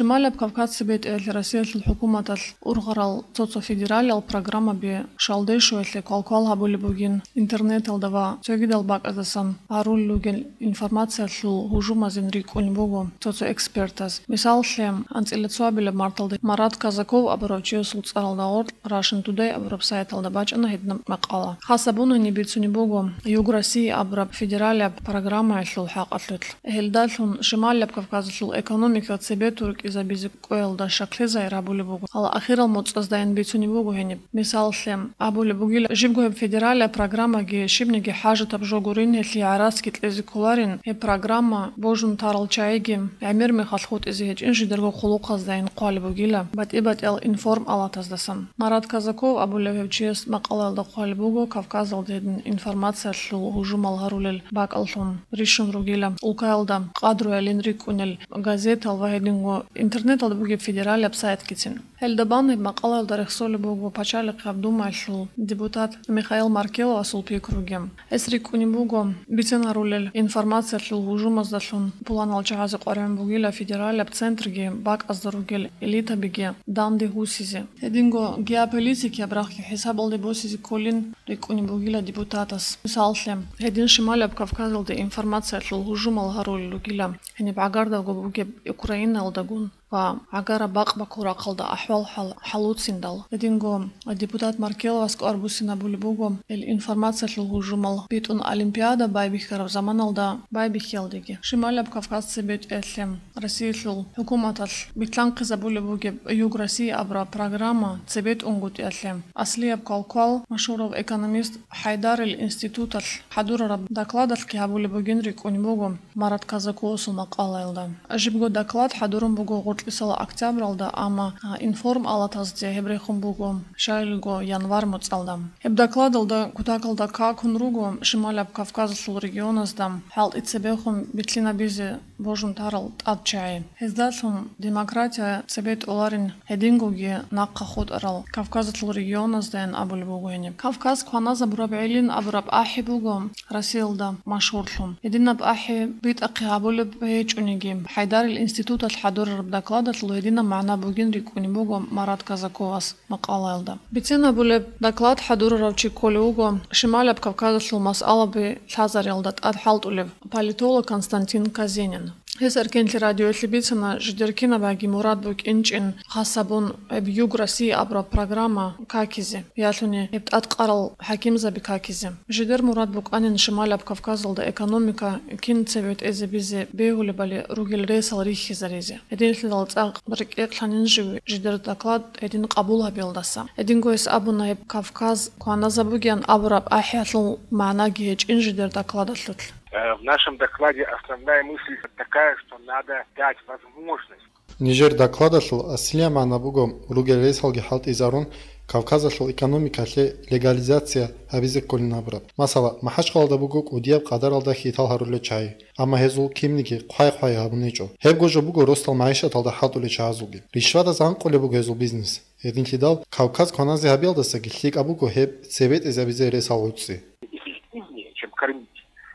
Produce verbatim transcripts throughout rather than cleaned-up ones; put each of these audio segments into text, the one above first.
Шималаб Кавказ цебетӀеялъе Россиялъул хӀукуматалъ ургъарал цо-цо федералиял программаби шалдей щуялъе квалквал гьабулеб бугин интернеталда ва цогидал бакӀаздасан гьарулел ругел информациялъул гьужумазин рикӀкӀунеб буго цо-цо экспертаз. Мисаллъе, анцӀила цоабилаб марталда Марат Казаков абурав чиясул цӀаралда гъоркь Russian Today абураб сайталда бачӀана гьединаб макъала. Хас абун гьениб бицунеб буго Юг России абураб федералияб программаялъул хӀакъалъулъ. Гьелдалъун Шималаб Кавказалъул экономика цебетӀун рукӀизабизе кӀвеялда щаклъи загьир гьабулеб буго. Гьале ахирал моцӀаздайин бицунеб буго гьениб. Мисаллъе, абулеб бугила, жибго гьеб федералияб программаги щибниги хӀажатаб жо гурин, гьелъие гӀарац кьезе кколарин, гьеб программа божун тарал чагӀиги гӀемер мехалъ хутӀизе гьечӀин жидерго хъулухъаздайин хъвалеб бугила, батӀи-батӀиял информалатаздасан. Марат Казаков абулев гьев чияс макъалаялда хъвалеб буго, Кавказалда гьедин информациялъул гьужумал гьарулел бакӀаллъун рищун ругила, улкаялда къадруялин рикӀкӀунел газетал ва гьединго интернеталда бугеб федералияб сайтгицин. Гьелда бан гьеб макъалаялда рехсолеб буго Пачалихъаб Думаялъул депутат Михаил Маркеловасул пикруги. Гьес рикӀкӀунеб буго бицен гьарулел информациялъул гьужумаздалъун пуланал чагӀазе къваригӀун бугила федералияб центрги бакӀазда ругел элитабиги данде гьусизе. Гьединго геополитикияб рахъги хӀисабалде босизе кколин рикӀкӀунеб бугила депутатас. Мисаллъе, гьедин Шималаб Кавказалда информациялъул гьужумал гьарулел ругила гьениб гӀагардавго бугеб Украиналдагун ва гӀагараб бакъ-баккул рахъалда ахӀвал хӀал-, хӀалуциндал. Гьединго депутат Маркеловас кӀвар буссинабулеб буго, ил информациялъул гьужумал битӀун олимпиада байбихьараб заманалда байбихьиялдеги. Шималаб Кавказ цебетӀеялъе Россиялъул хӀукуматалъ битлъанхъизабулеб бугеб Юг России абураб программа цебетӀунгутӀиялъе аслияб квалквал машгьурав экономист ХӀайдарил институталъ хӀадурараб докладалъги гьабулеб бугин рикӀкӀунеб буго Марат Казаковасул макъалаялда. Жибго доклад хӀадурун буго гъоркьисал октябралда, амма, а, информалатазде гьеб рехун буго щайилго январь моцӀалда. Гьеб докладалда кутакалда какун руго Шималаб Кавказалъул регионазда хӀалтӀи цебехун битлъинабизе божун тарал тӀад чагӀи. Гьездалъун демократия цебетӀоларин, гьедингоги нахъа хутӀарал Кавказалъул регионаздайин абулеб буго гьениб. Кавказ кваназабураб гӀелин абураб ахӀи буго Россиялда машгьурлъун. Гьединаб ахӀи битӀахъе гьабулеб гьечӀониги, ХӀайдарил институталъ хӀадурараб докладалъул гьединаб магӀна бугин рикӀкӀунеб буго Марат Казаковас макъалаялда. Бицен абулеб, доклад хӀадурарав чи кколев вуго Шималаб Кавказалъул масъалаби лъазариялда тӀад хӀалтӀулев политолог Константин Казенин. Гьес Эркенлъи радиоялъе бицана жидер кинабаги мурад букӀинчӀин хас гьабун гьеб Юг России абураб программа какизе, ялъуни гьеб тӀадкъарал хӀакимзаби какизе. Жидер мурад букӀанин Шималаб Кавказалда экономика кин цебетӀезабизе бегьулебали ругел ресал рихьизаризе. Гьединлъидал цӀакъ рекӀекълъанин жив жидер доклад гьедин къабул гьабиялдаса. Гьединго гьес абуна гьеб Кавказ кваназабугеян абураб ахӀиялъул магӀнаги гьечӀин жидер докладалъулъ. Э, в нашем докладе основная мысль такая, что надо дать возможность. Нижер докладалъул аслияб магӀна буго, ругел ресалги хӀалтӀизарун, Кавказалъул экономикалъе легализация гьабизе кколин абураб. Масала, МахӀачхъалада буго кӀудияб къадаралда хьитал гьарулел чагӀи, амма гьезул кинниги хъвай-хъвай гьабун гьечӀо. Гьебго жо буго росдал магӀишаталда хӀалтӀулел чагӀазулги. Ришватаз гӀанкъулеб буго гьезул бизнес. Гьединлъидал Кавказ кваназе гьабиялдасаги лъикӀаб буго гьеб цебетӀезабизе ресал гӀуцӀи. Эффективнее, чем кормить.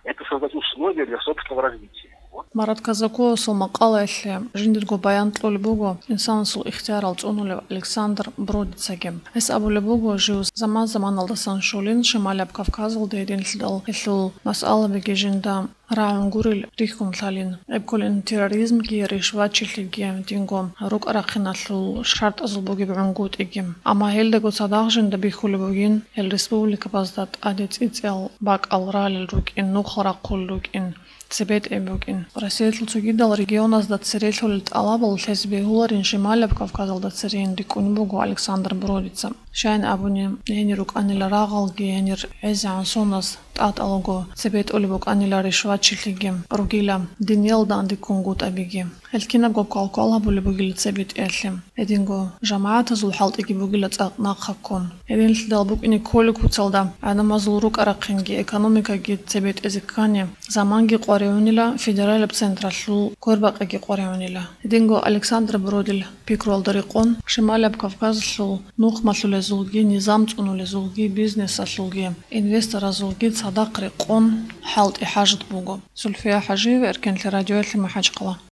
Это создать условия для собственного развития. Вот. Марат Казаковасул макъалаялъе жиндирго баян кьолеб буго инсанасул ихтиярал цӀунулев Александр Бродицаги. Гьес абулеб буго, жив заман-заманалдасан щолин Шималаб Кавказалда гьединлъидал гьелъул масъалабиги жинда рагӀун гурел рихьун лъалин. Гьеб кколин терроризмги, ришватчилъиги, динго рукӀа-рахъиналъул шартӀазул бугеб гӀунгутӀиги. Амма гьелдаго цадахъ жинда бихьулеб бугин, гьел республикабазда тӀаде цӀицӀиял бакӀал ралел рукӀин, нухал рахъул рукӀин, цебетӀей букӀин. Россиялъул цогидал регионазда церелъулел тӀалабал лъезе бегьуларин Шималаб Кавказалда церейин рикӀкӀунеб буго Александр Бродица. Щайин абуни, гьенир рукӀанила рагъалги, гьенир гӀезегӀан соназ тӀатӀалаго цебетӀулеб букӀанила ришватчилъиги, ругила диниял данде ккунгутӀабиги. Гьел кинабго квалквал гьабулеб бугила цебетӀеялъе. Гьединго жамагӀатазул хӀалтӀиги бугила цӀакъ нахъа ккун. Гьединлъидал букӀине кколеб куцалда гӀадамазул рукӀа-рахъинги экономикаги цебетӀезе ккани, заманги къваригӀунила, федералаб централъул квербакъиги къваригӀунила. Гьединго Александр Бродил пикруялда рекъон, Шималаб Кавказалъул нухмалъулезулги, низам цӀунулезулги, бизнесалъулги, инвесторазулги цадахъ рекъон хӀалтӀи хӀажат буго. Зульфия ХӀажиева, Эркенлъи радиоялъе, МахӀачхъала.